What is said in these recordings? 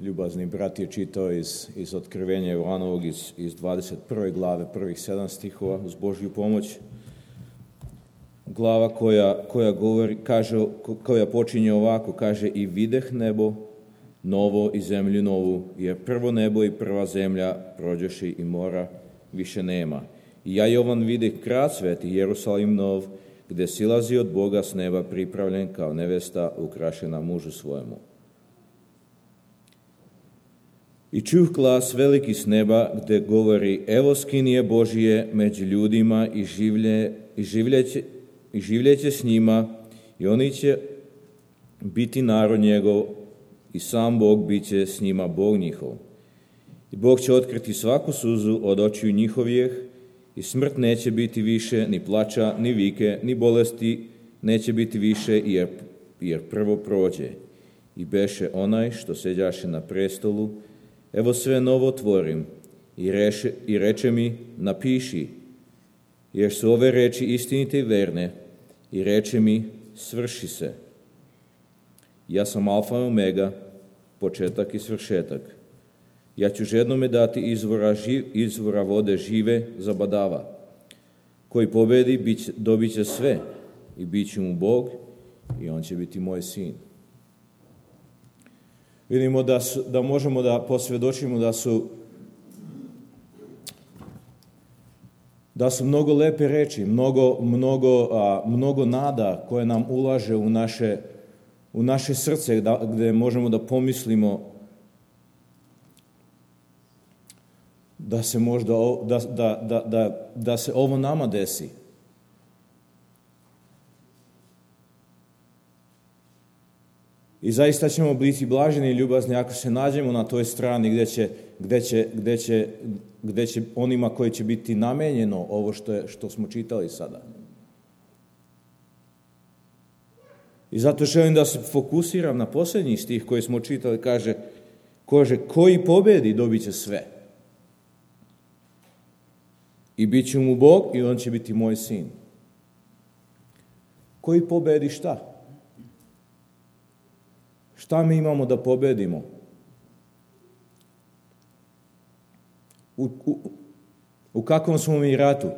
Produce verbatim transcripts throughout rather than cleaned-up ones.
ljubazni brat je čitao iz, iz Otkrivenja Jovanovog iz, iz dvadeset prve glave, prvih sedam stihova, uz Božju pomoć. Glava koja, koja govori, kaže, koja počinje ovako, kaže: i videh nebo novo i zemlju novu, jer prvo nebo i prva zemlja prođoši i mora više nema. I ja, Jovan, videh grad sveti, Jerusalim nov, gde silazi od Boga s neba, pripravljen kao nevesta ukrašena mužu svojemu. I čuh glas veliki s neba, gde govori: evo skinije Božije među ljudima i, življe, i, življeće, i življeće s njima, i oni će biti narod njegov, i sam Bog bit će s njima Bog njihov. I Bog će otkriti svaku suzu od očiju njihovih, i smrt neće biti više, ni plača, ni vike, ni bolesti neće biti više, jer, jer prvo prođe. I beše onaj što seđaše na prestolu: evo sve novo tvorim, i, reše, i reče mi: napiši, jer su ove reči istinite i verne. I reče mi: svrši se. Ja sam alfa i omega, početak i svršetak. Ja ću žednome dati izvora, živ, izvora vode žive zabadava. Koji pobedi, bit, dobit će sve, i bit će mu Bog, i on će biti moj sin. Vidimo da, su, da možemo da posvjedočimo da su da su mnogo lepe reči, mnogo, mnogo, a, mnogo nada koje nam ulaže u naše, u naše srce, da, gde možemo da pomislimo da se možda da, da, da, da, da se ovo nama desi. I zaista ćemo biti blaženi i ljubazni ako se nađemo na toj strani gde će, gde će, gde će, gde će onima koji će biti namenjeno ovo što, je, što smo čitali sada. I zato želim da se fokusiram na posljednji stih koji smo čitali. Kaže, kaže koji pobedi dobit će sve. I bit će mu Bog, i on će biti moj sin. Koji pobedi šta? Šta mi imamo da pobedimo? U, u, u kakvom smo mi ratu?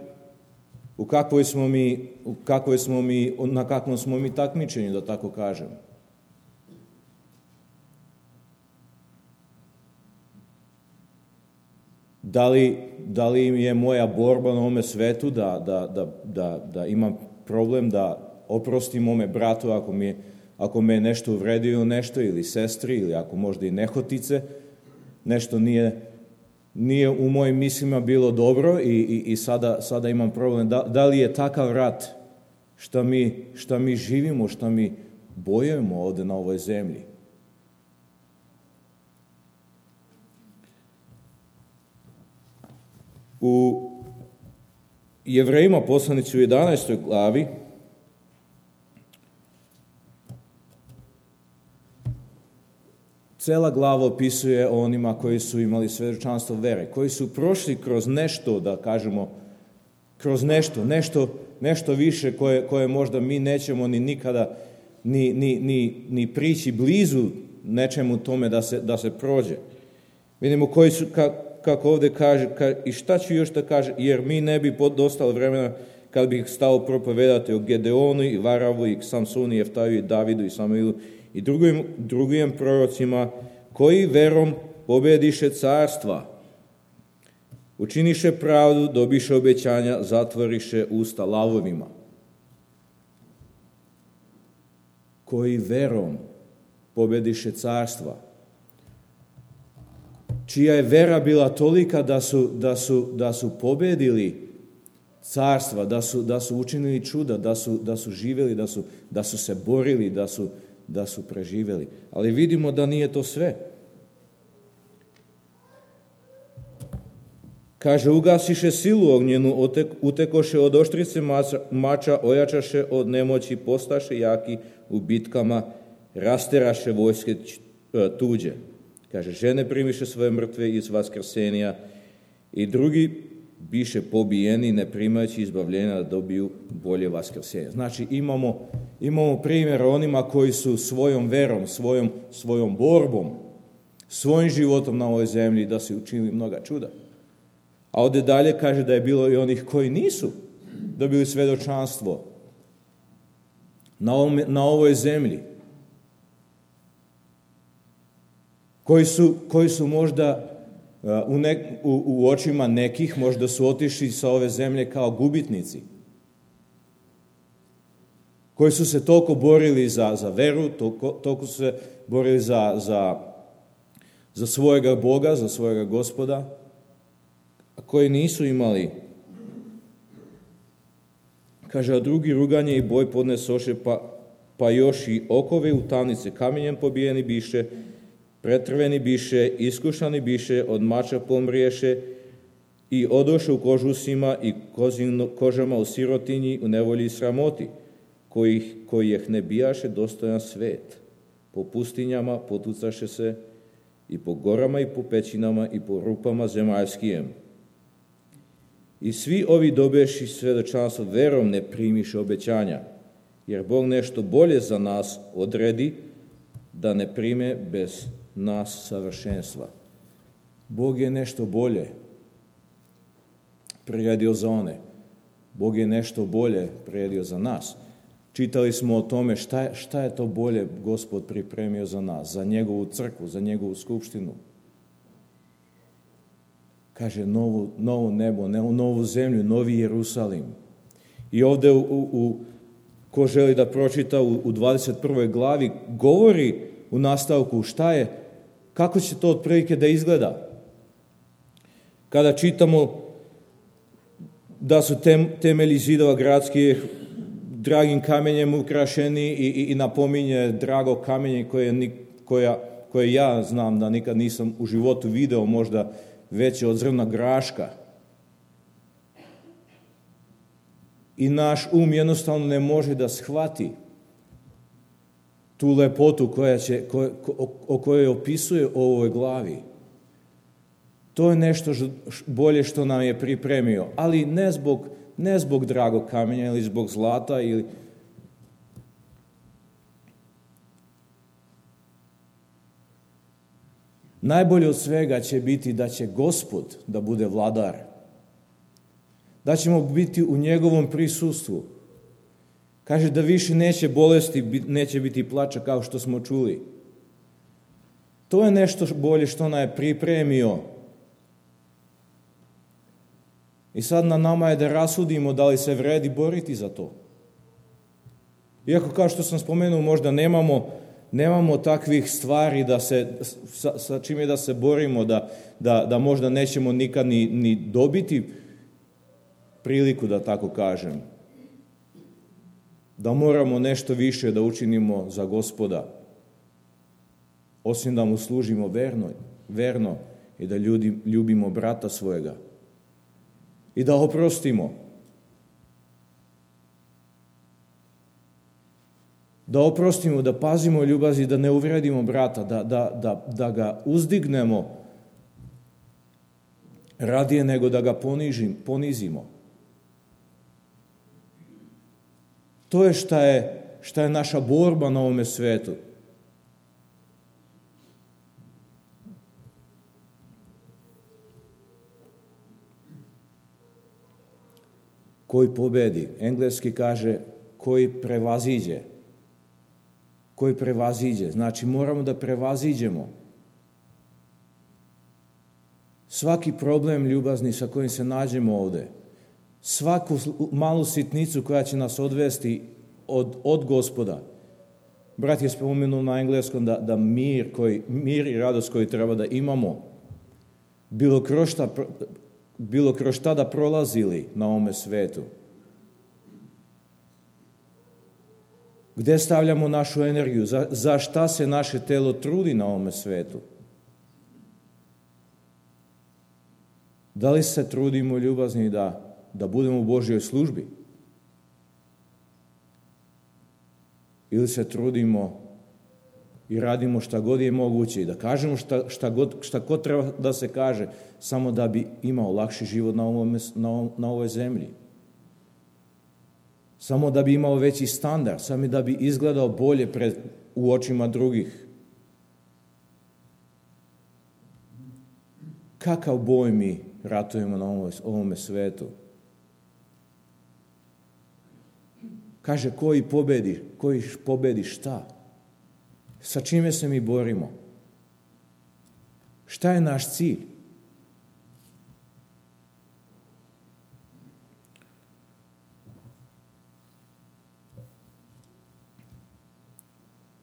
U kakvoj smo mi, u kakvoj smo mi, na kakvom smo mi takmičenju, da tako kažem? Da li, da li je moja borba na ovome svetu da, da, da, da, da imam problem da oprostim mome bratu ako mi je Ako me je nešto uvredio nešto, ili sestri, ili ako možda i nehotice, nešto nije, nije u mojim mislima bilo dobro i, i, i sada, sada imam problem. Da, da li je takav rat šta mi, šta mi živimo, šta mi bojujemo ovde na ovoj zemlji? U Jevrejima, poslanici u jedanaestoj glavi, cela glava opisuje o onima koji su imali svedočanstvo vere, koji su prošli kroz nešto, da kažemo, kroz nešto, nešto, nešto više koje, koje možda mi nećemo ni nikada ni, ni, ni, ni prići blizu nečemu tome da se, da se prođe. Vidimo koji su, ka, kako ovde kaže, ka, i šta ću još da kaže, jer mi ne bi dostalo vremena kad bih stao propovedati o Gedeonu i Varavu i Samsonu i Jeftaju i Davidu i Samuilu i drugim, drugim prorocima, koji verom pobediše carstva, učiniše pravdu, dobiše obećanja, zatvoriše usta lavovima. Koji verom pobediše carstva, čija je vera bila tolika da su, da su, da su pobedili carstva, da su, da su učinili čuda, da su, da su živjeli, da su, da su se borili, da su da su preživeli. Ali vidimo da nije to sve. Kaže, ugasiše silu ognjenu, otek, utekoše od oštrice mača, mača, ojačaše od nemoći, postaše jaki u bitkama, rasteraše vojske tuđe. Kaže, žene primiše svoje mrtve iz vaskrsenja i drugi biše pobijeni, ne primajući izbavljenja da dobiju bolje vaskrsenje. Znači, imamo, imamo primjer onima koji su svojom verom, svojom, svojom borbom, svojim životom na ovoj zemlji da su učinili mnoga čuda. A ovdje dalje kaže da je bilo i onih koji nisu dobili svedočanstvo na, ovom, na ovoj zemlji. Koji su, koji su možda u, ne, u, u očima nekih, možda su otišli sa ove zemlje kao gubitnici. Koji su se toliko borili za, za veru, toliko, toliko su se borili za, za, za svojega Boga, za svojega Gospoda, a koji nisu imali. Kaže, a drugi ruganje i boj podnesoše, pa, pa još i okove u tamnice kamenjem pobijeni biše, pretrveni biše, iskušani biše, od mača pomriješe i odoše u kožusima i kozino, kožama u sirotinji, u nevolji i sramoti, koji, koji ih ne bijaše dostojan svet. Po pustinjama potucaše se i po gorama i po pećinama i po rupama zemaljskijem. I svi ovi dobeši svedočanstvo verom ne primiše obećanja, jer Bog nešto bolje za nas odredi da ne prime bez nas savršenstva. Bog je nešto bolje priredio za one. Bog je nešto bolje priredio za nas. Čitali smo o tome šta je, šta je to bolje Gospod pripremio za nas, za njegovu crkvu, za njegovu skupštinu. Kaže, novu, novo nebo, novu zemlju, novi Jerusalim. I ovdje, u, u, ko želi da pročita u, u dvadeset prvoj glavi, govori u nastavku šta je, kako će to otprilike da izgleda. Kada čitamo da su tem, temelji zidova gradskih dragim kamenjem ukrašeni i, i, i napominje drago kamenje koje, koja, koje ja znam da nikad nisam u životu video, možda veće od zrna graška. I naš um jednostavno ne može da shvati tu lepotu koja će, ko, ko, o kojoj opisuje u ovoj glavi. To je nešto bolje što nam je pripremio, ali ne zbog, ne zbog dragog kamenja ili zbog zlata ili najbolje od svega će biti da će Gospod da bude vladar. Da ćemo biti u njegovom prisustvu. Kaže da više neće bolesti, neće biti plača kao što smo čuli. To je nešto bolje što nam je pripremio. I sad na nama je da rasudimo da li se vredi boriti za to. Iako kao što sam spomenuo, možda nemamo Nemamo takvih stvari da se, sa, sa čime da se borimo, da, da, da možda nećemo nikad ni, ni dobiti priliku, da tako kažem. Da moramo nešto više da učinimo za Gospoda, osim da mu služimo verno, verno i da ljudi, ljubimo brata svojega i da oprostimo. Da oprostimo, da pazimo ljubazi, da ne uvredimo brata, da, da, da, da ga uzdignemo radije nego da ga ponižim, ponizimo. To je šta je, šta je naša borba na ovome svetu. Koji pobedi, engleski kaže koji prevaziđe. Koji prevaziđe. Znači, moramo da prevaziđemo svaki problem ljubazni sa kojim se nađemo ovde, svaku malu sitnicu koja će nas odvesti od, od Gospoda. Brat je spomenuo na engleskom da, da mir, koji, mir i radost koji treba da imamo, bilo kroz šta, bilo kroz šta da prolazili na ovome svetu. Gde stavljamo našu energiju? Za, za šta se naše telo trudi na ovome svetu? Da li se trudimo ljubazni da, da budemo u Božjoj službi? Ili se trudimo i radimo šta god je moguće i da kažemo šta, šta, god, šta god treba da se kaže, samo da bi imao lakši život na, ovome, na, na ovoj zemlji? Samo da bi imao veći standard, samo da bi izgledao bolje pred, u očima drugih. kakav boj mi ratujemo na ovome, ovome svetu? Kaže, koji pobedi, koji pobedi šta? Sa čime se mi borimo? Šta je naš cilj?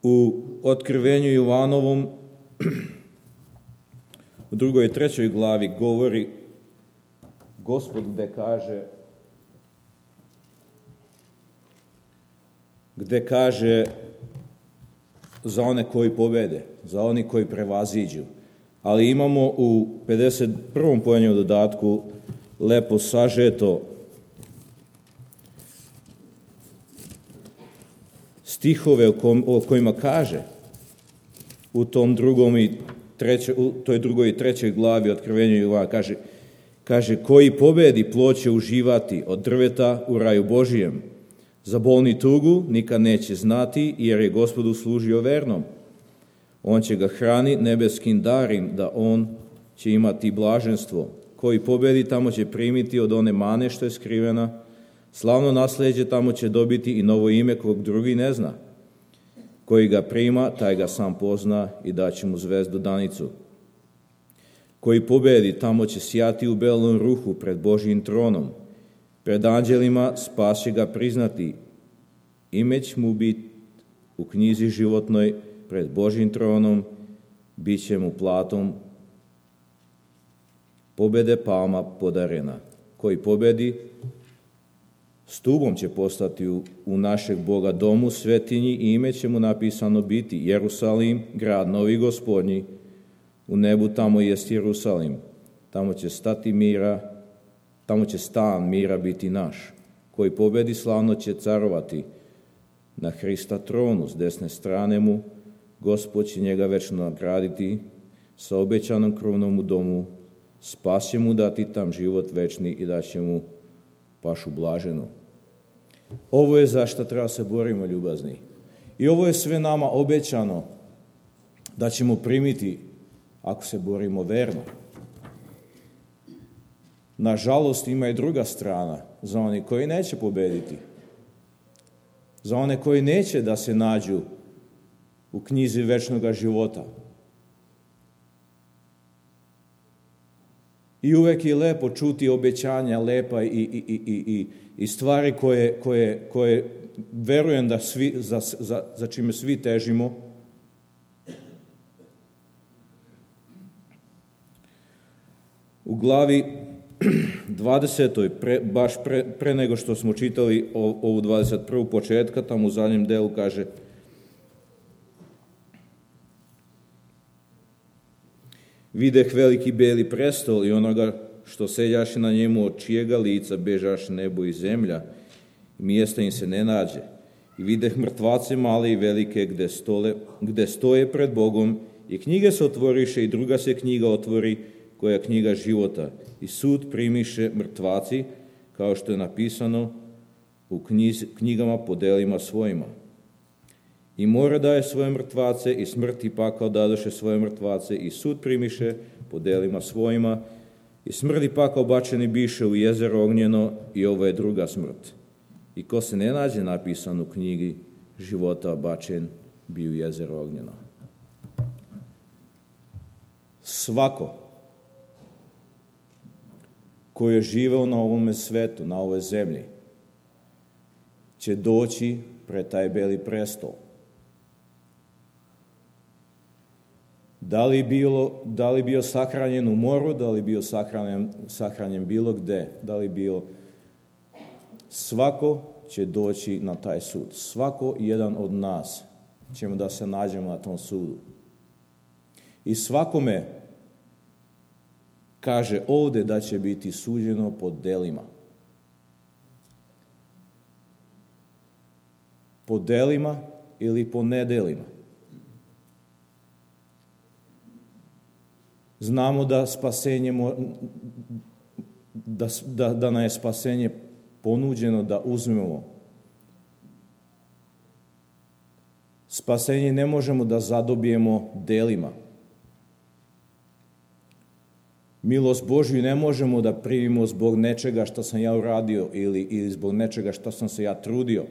U Otkrivenju Jovanovom u drugoj i trećoj glavi govori Gospod gde kaže gde kaže za one koji pobede, za oni koji prevaziđu. Ali imamo u pedeset prvom pojanju dodatku lepo sažeto stihove o, kom, o kojima kaže u tom drugom i treće, u toj drugoj i trećoj glavi Otkrivenja Jovana kaže, kaže koji pobedi plod će uživati od drveta u raju Božijem. Za bolni tugu nikad neće znati, jer je Gospodu služio vernom. On će ga hrani nebeskim darim, da on će imati blaženstvo. Koji pobedi, tamo će primiti od one mane što je skrivena. Slavno nasljeđe tamo će dobiti i novo ime kog drugi ne zna. Koji ga prima, taj ga sam pozna i daće mu zvezdu danicu. Koji pobedi, tamo će sjati u belom ruhu pred Božjim tronom. Pred anđelima spas će ga priznati. Ime će mu biti u knjizi životnoj pred Božjim tronom, bit će mu platom pobede palma podarena. Koji pobedi, stubom će postati u, u našeg Boga domu, svetinji, i ime će mu napisano biti Jerusalim, grad novi Gospodnji. U nebu tamo jest Jerusalim, tamo će stati mira, tamo će stan mira biti naš. Koji pobedi, slavno će carovati na Hrista tronu, s desne strane mu. Gospod će njega večno nagraditi sa obećanom krunom u domu. Spas će mu dati tam život večni i da će mu pašu blaženu. Ovo je za što treba se borimo, ljubazni. I ovo je sve nama obećano da ćemo primiti ako se borimo verno. Nažalost, ima i druga strana za one koji neće pobediti. Za one koji neće da se nađu u knjizi večnog života. I uvek je lepo čuti obećanja, lepa i, i, i, i, i stvari koje, koje, koje verujem da svi, za, za, za čime svi težimo. U glavi dvadesetoj, pre, baš pre, pre nego što smo čitali ovu dvadeset prvu početka, tamo u zadnjem delu kaže: videh veliki beli prestol i onoga što seljaše na njemu, od čijega lica bežaše nebo i zemlja, i mjesta im se ne nađe. I videh mrtvace male i velike gde, stole, gde stoje pred Bogom, i knjige se otvoriše, i druga se knjiga otvori, koja je knjiga života. I sud primiše mrtvaci, kao što je napisano u knjiz, knjigama po delima svojima. I mora daje svoje mrtvace, i smrt i pakao dadoše svoje mrtvace, i sud primiše po delima svojima, i smrt i pakao bačeni biše u jezero ognjeno, i ovo je druga smrt. I ko se ne nađe napisan u knjigi života, bačen bi u jezero ognjeno. Svako ko je živeo na ovome svetu, na ovoj zemlji, će doći pred taj beli prestol. Da li, bilo, da li bio sahranjen u moru, da li bio sahranjen, sahranjen bilo gde, da li bio... Svako će doći na taj sud. Svako jedan od nas ćemo da se nađemo na tom sudu. I svakome kaže ovde da će biti suđeno po delima. Po delima ili po nedelima. Znamo da spasenje, da, da, da nam je spasenje ponuđeno da uzmemo. Spasenje ne možemo da zadobijemo delima. Milost Božju ne možemo da primimo zbog nečega što sam ja uradio ili, ili zbog nečega što sam se ja trudio.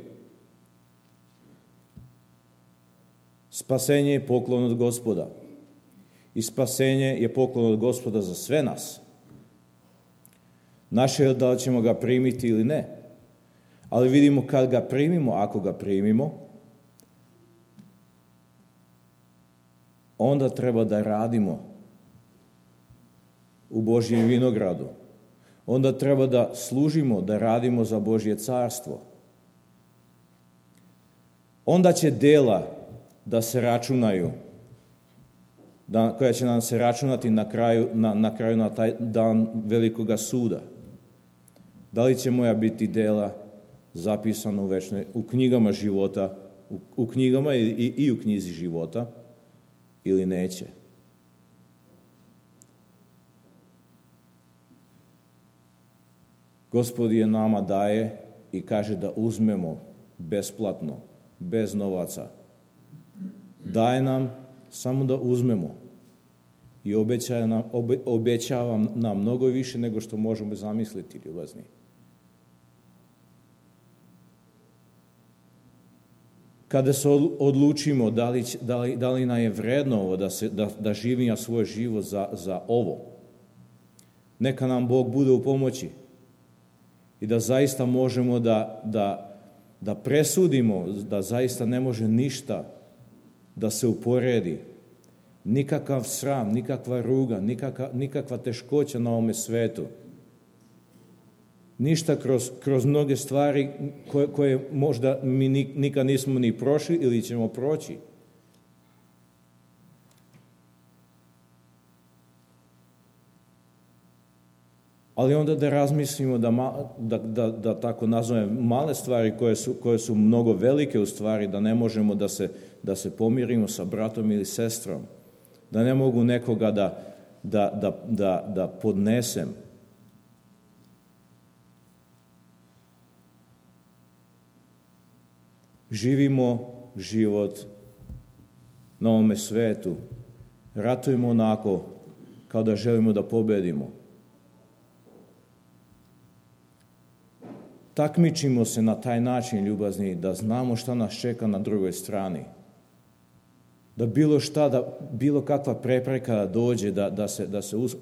Spasenje je poklon od Gospoda. I spasenje je poklon od Gospoda za sve nas. Naše je da li ćemo ga primiti ili ne. Ali vidimo kad ga primimo, ako ga primimo, onda treba da radimo u Božjem vinogradu. Onda treba da služimo, da radimo za Božje carstvo. Onda će dela da se računaju, da, koja će nam se računati na kraju na, na kraju na taj dan velikoga suda. Da li će moja biti dela zapisana u večnoj, u knjigama života, u, u knjigama i, i, i u knjizi života, ili neće? Gospod je nama daje i kaže da uzmemo besplatno, bez novaca. Daje nam samo da uzmemo i obećava nam, obe, obećava nam mnogo više nego što možemo zamisliti, ljubazni. Kada se odlučimo da li, da li, da li nam je vredno ovo, da, se, da, da živimo svoj život za, za ovo, neka nam Bog bude u pomoći i da zaista možemo da, da, da presudimo, da zaista ne može ništa da se uporedi. Nikakav sram, nikakva ruga, nikakva, nikakva teškoća na ovome svetu. Ništa kroz, kroz mnoge stvari koje, koje možda mi nikad nismo ni prošli ili ćemo proći. Ali onda da razmislimo, da, da, da, da tako nazovem, male stvari koje su, koje su mnogo velike u stvari, da ne možemo da se, da se pomirimo sa bratom ili sestrom, da ne mogu nekoga da, da, da, da, da podnesem. Živimo život na ovome svetu, ratujemo onako kao da želimo da pobedimo. Takmičimo se na taj način, ljubazni, da znamo šta nas čeka na drugoj strani. Da bilo šta, da bilo kakva prepreka da dođe, da, da se, da se, uz,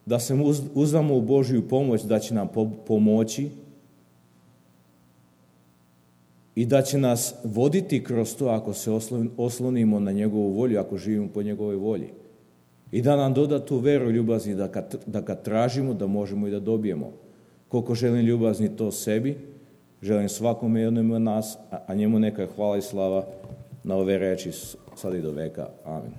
da se uz, uzdamo u Božju pomoć, da će nam po, pomoći i da će nas voditi kroz to ako se oslonimo na njegovu volju, ako živimo po njegovoj volji. I da nam doda tu veru, ljubazni, da kad, da kad tražimo, da možemo i da dobijemo. Koliko želim, ljubazni, to sebi, želim svakome jednom od nas, a njemu neka hvala i slava na ove reči sad i do veka. Amen.